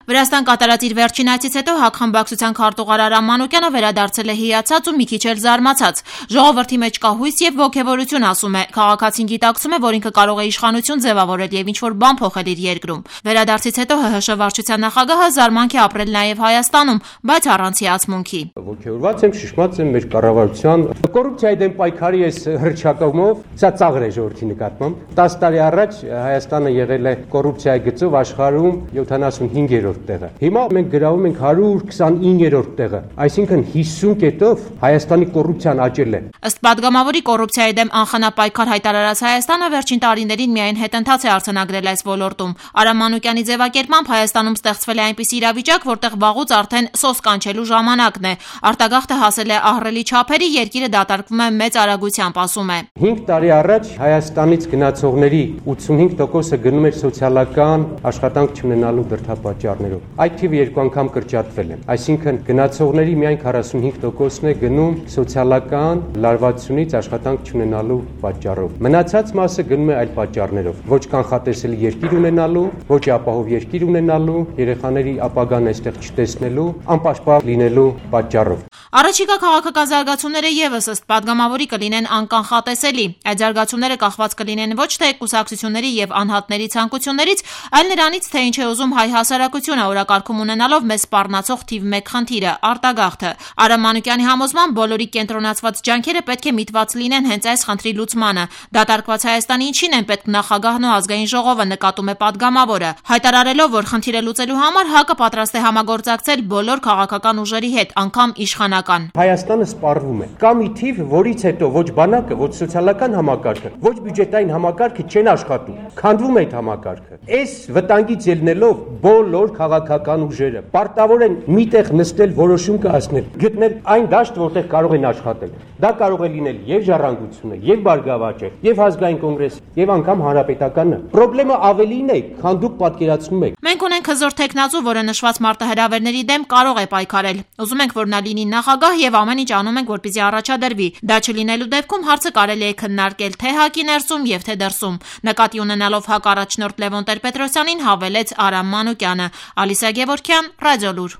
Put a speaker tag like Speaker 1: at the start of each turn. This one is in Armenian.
Speaker 1: Վրաստան կատարած իր վերջին այցից հետո հակխմբակցության քարտուղար Արամ Մանուկյանը վերադարձել է հիացած ու մի քիչ էլ զարմացած։ Ժողովրդի մեջ կա հույս եւ ոգեվորություն, ասում է։ Քաղաքացին գիտակցում է, որ ինքը կարող է իշխանություն ձևավորել եւ ինչ-որ բան փոխել իր երկրում։ Վերադարձից հետո ՀՀՇ վարչության նախագահը զարմանք է ապրել նաեւ Հայաստանում, բայց առանց հիացմունքի։
Speaker 2: Ոգեվորված եմ, շշմած եմ մեր կառավարության կոռուպցիայի դեմ պայքարի այս հռչակումով, սա ծաղր է ժողովրդի նկատմամբ։ 10 տարի առաջ Հայաստանը եղել է կոռուպցիայի գծով աշխարհում 75-րդ տեղը։ Հիմա մենք գրավում ենք 129-րդ տեղը, այսինքն 50 կետով Հայաստանի կոռուպցիան աճել է։
Speaker 1: Ըստ падգամավորի կոռուպցիայի դեմ անխնա պայքար հայտարարած Հայաստանը վերջին տարիներին միայն հետընթաց է արձանագրել այս ոլորտում։ Արամ Մանուկյանի ձևակերպմամբ Հայաստանում ստեղծվել է այնպիսի իրավիճակ, որտեղ վաղուց արդեն սոս կանչելու ժամանակն է։ Արտագաղթը հասել է ահռելի չափերի, երկիրը դատարկվում է մեծ արագությամբ, ասում է։
Speaker 2: 5 տարի առաջ Հայաստանից գնացողների 85%-ը գնում էր սոցիալական աշխատանք չունենալու դրդապատճառներով։ Այդ թիվը 2 անգամ կրճատվել է։ Այսինքն գնացողների միայն 45%-ն է գնում սոցիալական լարվածությունից աշխատանք չունենալու պատճառով։ Մնացած մասը գնում է այլ պատճառներով։ Ոչ կանխատեսելի երկիր ունենալու, ոչ ապահով երկիր ունենալու, երեխաների ապագան այստեղ չտեսնելու, անպաշտպան լինելու պատճառով։
Speaker 1: Առաջիկա քաղաքական զարգացումները եւս ըստ падգամավորի կլինեն անկանխատեսելի։ Այդ զարգացումները կախված կլինեն ոչ թե կուսակցությունների եւ անհատների ցանկություններից, այլ նրանից, թե ինչ է ուզում հայ հասարակությունը, օրակարգում ունենալով մեզ սպառնացող թիվ 1 խնդիրը՝ արտագաղթը։ Արամ Մանուկյանի համոզմամբ բոլորի կենտրոնացված ջանքերը պետք է միտված լինեն հենց այս խնդրի լուծմանը։ Դատարկված Հայաստանի ինչին են պետք նախագահն ու ազգային ժողովը, նկատում է падգամավորը, հայտարարելով, որ խնդիրը լուծելու համար ՀԱԿ-ը պատրաստ է համագործակցել բոլոր քաղաքական ուժերի հետ, անգամ իշխանական։
Speaker 2: Հայաստանը սպառվում է։ Կա մի թիվ, որից հետո ոչ բանակը, ոչ սոցիալական համակարգը, ոչ բյուջետային համակարգը չեն աշխատում։ Քանդվում է այդ համակարգը։ Այս վտանգից ելնելով բոլոր քաղաքական ուժերը պարտավոր են միտեղ նստել, որոշում կայացնել, գտնել այն դաշտ, որտեղ կարող են աշխատել։ Դա կարող է լինել եւ Ժառանգությունը, եւ Բարգավաճը, եւ Ազգային կոնգրեսը, եւ անգամ Հանրապետականը։ Պրոբլեմը ավելին է, քան դուք պատկերացնում եք։
Speaker 1: Մենք ունենք հզոր տեխնազու, որը նշված մարտահրավերների դեմ կարող է պայքարել։ Ուզում ենք, որ նա լինի նախագահ եւ ամեն ինչ անում ենք, որպեսզի առաջադրվի։ Դա չլինելու դեպքում հարցը կարելի է քննարկել թե ՀԱԿ-ի ներսում եւ թե դրսում։ Նկատի ունենալով ՀԱԿ առաջնորդ Լևոն Տեր-Պետրոսյանին հավելեց Արամ Մանուկյանը։ Ալիսա Գևորգյան, Ռադիոլուր։